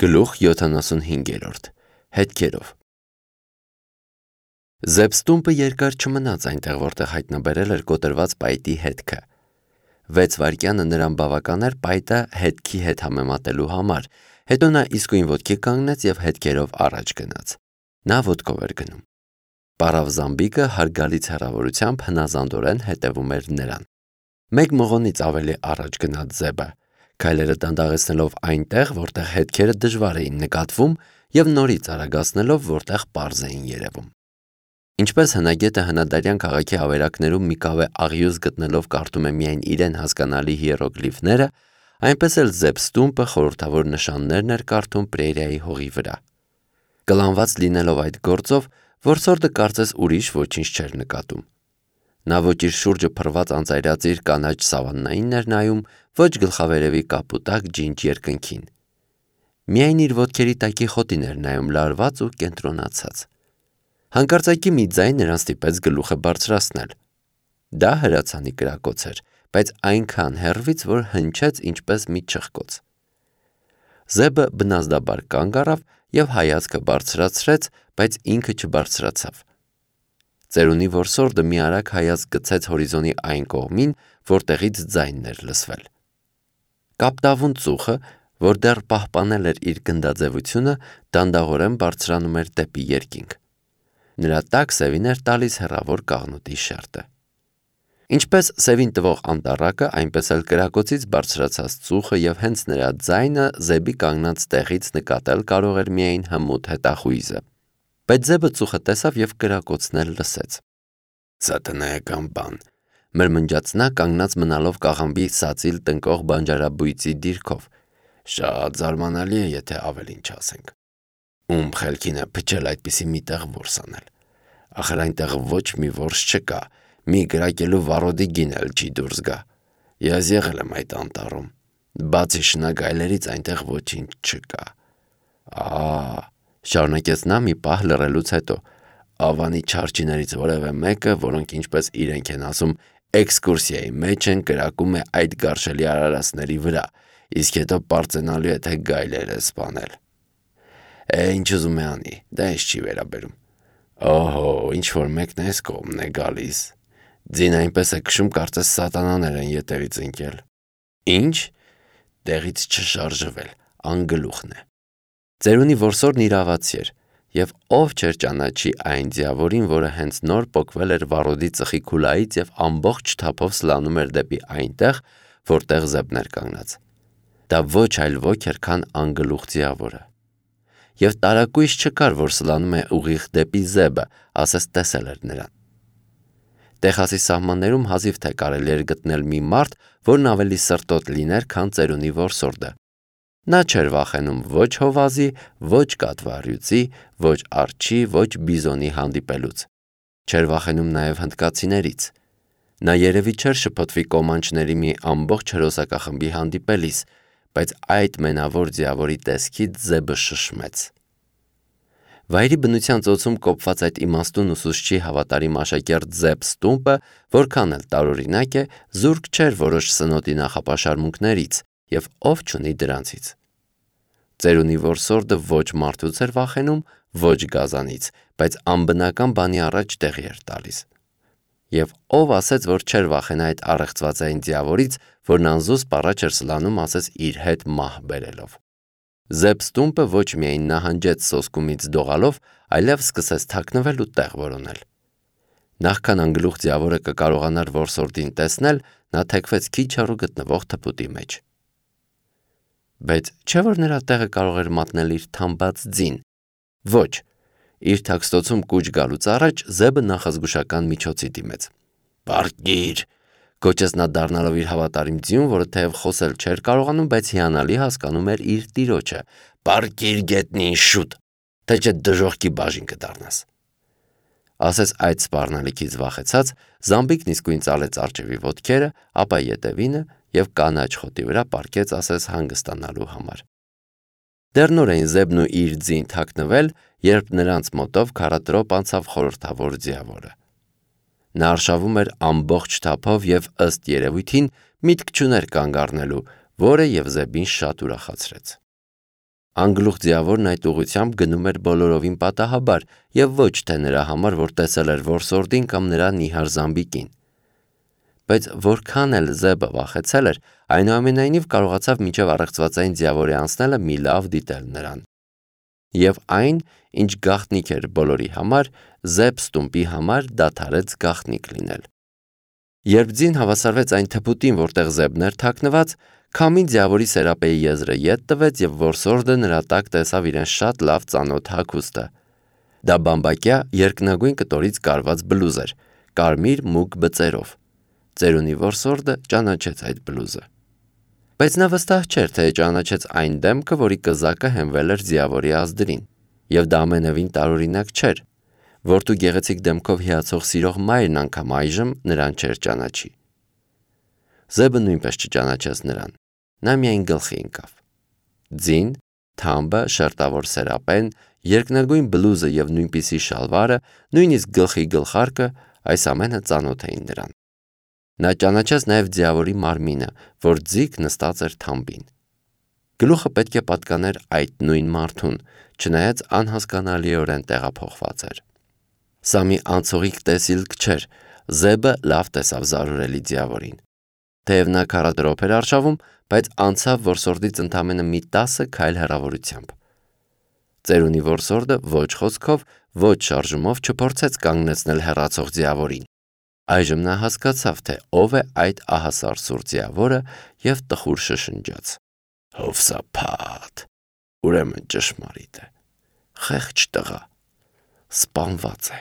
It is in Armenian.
Գլուխ 75 Հետքերով Զեբստումպը երկար չմնաց այնտեղ, որտեղ հայտնաբերել էր կոտրված պայտի հետքը։ 6 վայրկյանը նրան բավական էր պայտը հետքի հետ համեմատելու համար, հետո նա իսկույն ոտքի կանգնեց և հետքերով առաջ գնաց։ Նա ոտքով էր գնում։ Պարավ զամբիկը հարգալից հեռավորությամբ հնազանդորեն հետևում էր նրան։ Մեկ մղոնից ավելի առաջ գնաց Զեբը, քայլերը դանդաղեցնելով այնտեղ, որտեղ հետքերը դժվար էին նկատվում, և նորից արագացնելով, որտեղ պարզ էին երևում։ Ինչպես հնագետը հնադարյան քաղաքի ավերակներում մի կավե աղյուս գտնելով կարդում է միայն իրեն հասկանալի հիերոգլիֆները, այնպես էլ Զեբստումպը խորհրդավոր նշաններն էր կարդում պրերիայի հողի վրա։ Կլանված լինելով այդ գործով, որսորդը կարծես ուրիշ ոչինչ չէր նկատում։ Նա ոչ իր շուրջը փռված անծայրածիր կանաչ սավաննային էր նայում, ոչ գլխավերևի կապուտակ ջինջ երկնքին։ Միայն իր ոտքերի տակի խոտին էր նայում լարված ու կենտրոնացած։ Հանկարծակի մի ձայն նրան ստիպեց գլուխը բարձրացնել։ Դա հրացանի կրակոց էր, բայց այնքան հեռվից, որ հնչեց ինչպես մի չխկոց։ Զեբը բնազդաբար կանգ առավ և հայացքը բարձրացրեց, բայց ինքը չբարձրացավ։ Ծերունի որսորդը մի արագ հայացք գցեց հորիզոնի այն կողմին, որտեղից ձայնն էր լսվել։ Կապտավուն ծուխը, որ դեռ պահպանել էր իր գնդաձևությունը, դանդաղորեն բարձրանում էր դեպի երկինք։ Նրա տակ սևին էր տալիս հեռավոր կաղնուտի շերտը։ Ինչպես սևին տվող անտառակը, այնպես էլ կրակոցից բարձրացած ծուխը և հենց նրա ձայնը Զեբի կանգնած տեղից նկատել կարող էր միայն հմուտ հետախույզը։ Բայց Զեբը ծուխը տեսավ և կրակոցն էլ լսեց։ «Սատանայական բան», մրմնջաց նա կանգնած մնալով կաղամբի սածիլ տնկող բանջարաբույծի դիրքով։ «Շատ զարմանալի է, եթե ավելին չասենք։ Ում խելքին է փչել այդպիսի մի տեղ որս անել։ Ախր այնտեղ ոչ մի որս չկա, մի կրակելու վառոդի գին էլ չի դուրս գա։ Ես եղել եմ այդ անտառում։ Բացի շնագայլերից այնտեղ ոչինչ չկա։ Շարունակեց նա մի պահ լռելուց հետո, ավանի չարչիներից որևէ մեկը, որոնք ինչպես իրենք են ասում, էքսկուրսիայի մեջ են, կրակում է այդ գարշելի արարածների վրա, իսկ հետո պարծենալու է, թե գայլեր է սպանել։ Ինչ ուզում է անի, դա ինձ չի վերաբերում։ Օհո, ինչ-որ մեկն էս կողմն է գալիս։ Ձին այնպես է քշում, կարծես սատանաներ են ետևից ընկել։ Ինչ։ Տեղից չշարժվել, անգլուխն է։ Ծերունի որսորդն իրավացի էր, և ով չէր ճանաչի այն ձիավորին, որը հենց նոր պոկվել էր վառոդի ծխի քուլայից և ամբողջ թափով սլանում էր դեպի այնտեղ, որտեղ Զեբն էր կանգնած։ Դա ոչ այլ ոք էր, քան անգլուխ ձիավորը։ Եվ տարակույս չկար, որ սլանում է ուղիղ դեպի Զեբը, ասես տեսել էր նրան։ Տեխասի սահմաններում հազիվ թե կարելի էր գտնել մի մարդ, որն ավելի սրտոտ լիներ, քան ծերունի որսորդը։ Նա չէր վախենում ոչ հովազի, ոչ կատվառյուծի, ոչ արջի, ոչ բիզոնի հանդիպելուց։ Չէր վախենում նաև հնդկացիներից։ Նա երևի չէր շփոթվի կոմանչների մի ամբողջ հրոսակախմբի հանդիպելիս, բայց այդ մենավոր ձիավորի տեսքից Զեբը շշմեց։ Վայրի բնության ծոցում կոփված այդ իմաստուն ուսուցչի հավատարիմ աշակերտ Զեբստումպը, որքան էլ տարօրինակ է, զուրկ չէր որոշ սնոտի նախապաշարմունքներից, և ով չունի դրանցից։ Ծերունի որսորդը ոչ մարդուց էր վախենում, ոչ գազանից, բայց անբնական բանի առաջ տեղի էր տալիս։ Եվ ով ասեց, որ չէր վախենա այդ առեղծվածային ձիավորից, որն անզուսպ առաջ էր սլանում, ասես իր հետ մահ բերելով։ Զեբստումպը ոչ միայն նահանջեց սոսկումից դողալով, այլև սկսեց թաքնվել ու տեղ որոնել։ Նախքան անգլուխ ձիավորը կկարողանար որսորդին տեսնել, նա թեքվեց քիչ հեռու գտնվող թփուտի մեջ։ Բայց չէ՞ որ նրա տեղը կարող էր մատնել իր թամբած ձին։ Ոչ։ Իր թաքստոցում կուչ գալուց առաջ Զեբը նախազգուշական միջոցի դիմեց։ «Պառկի՛ր», գոչեց նա դառնալով իր հավատարիմ ձիուն, որը թեև խոսել չէր կարողանում, բայց հիանալի հասկանում էր իր տիրոջը։ «Պառկի՛ր գետնին, շուտ, թե չէ դժոխքի բաժին կդառնաս»։ Ասես այդ սպառնալիքից վախեցած, զամբիկն իսկույն ծալեց առջևի ոտքերը, ապա ետևինը և կանաչ խոտի վրա պառկեց, ասես հանգստանալու համար։ Դեռ նոր էին Զեբն ու իր ձին թաքնվել, երբ նրանց մոտով քառատրոպ անցավ խորհրդավոր ձիավորը։ Նա արշավում էր ամբողջ թափով և ըստ երևույթին միտք չուներ կանգ առնելու, որը և Զեբին շատ ուրախացրեց։ Անգլուխ ձիավորն այդ ուղղությամբ գնում էր բոլորովին պատահաբար և ոչ թե նրա համար, որ տեսել էր որսորդին կամ նրա նիհար զամբիկին։ Բայց որքան էլ Զեբը վախեցել էր, այնուամենայնիվ կարողացավ մինչև առեղծվածային ձիավորի անցնելը մի լավ դիտել նրան։ Եվ այն, ինչ գաղտնիք էր բոլորի համար, Զեբ Ստումպի համար դադարեց գաղտնիք լինել։ Երբ ձին հավասարվեց այն թփուտին, որտեղ Զեբն էր թաքնված, քամին ձիավորի սերապեի եզրը ետ տվեց և որսորդը նրա տակ տեսավ իրեն շատ լավ ծանոթ հագուստը։ Դա բամբակյա երկնագույն կտորից կարված բլուզ էր, կարմիր մուգ բծերով։ Ծերունի որսորդը ճանաչեց այդ բլուզը։ Բայց նա վստահ չէր, թե ճանաչեց այն դեմքը, որի կզակը հենվել էր ձիավորի ազդրին, և դա ամենևին տարօրինակ չէր։ Որդու գեղեցիկ դեմքով հիացող սիրող մայրն անգամ այժմ նրան չէր ճանաչի։ Զեբը նույնպես չճանաչեց նրան, նա միայն գլխի ընկավ։ Ձին, թամբը, շերտավոր սերապեն, երկնագույն բլուզը և նույնպիսի շալվարը, նույնիսկ գլխի գլխարկը, այս ամենը ծանոթ էին նրան։ Նա ճանաչեց նաև ձիավորի մարմինը, որ ձիգ նստած էր թամբին։ Գլուխը պետք է պատկաներ այդ նույն մարդուն, չնայած անհասկանալիորեն տեղափոխված էր։ Սա մի անցողիկ տեսիլք չէր, Զեբը լավ տեսավ զարհուրելի ձիավորին։ Թեև նա 40 րոպե էր արշավում, բայց անցավ որսորդից ընդամենը մի 10 քայլ հեռավորությամբ։ Ծերունի որսորդը ոչ խոսքով, ոչ շարժումով չփորձեց կանգնեցնել հեռացող ձիավորին։ Այժմ նա հասկացավ, թե ով է այդ ահասար սուր ձիավորը և տխուր շշնջաց. «Հովսափատ, ուրեմն ճշմարիտ է, խեղճ տղա, սպանված է»։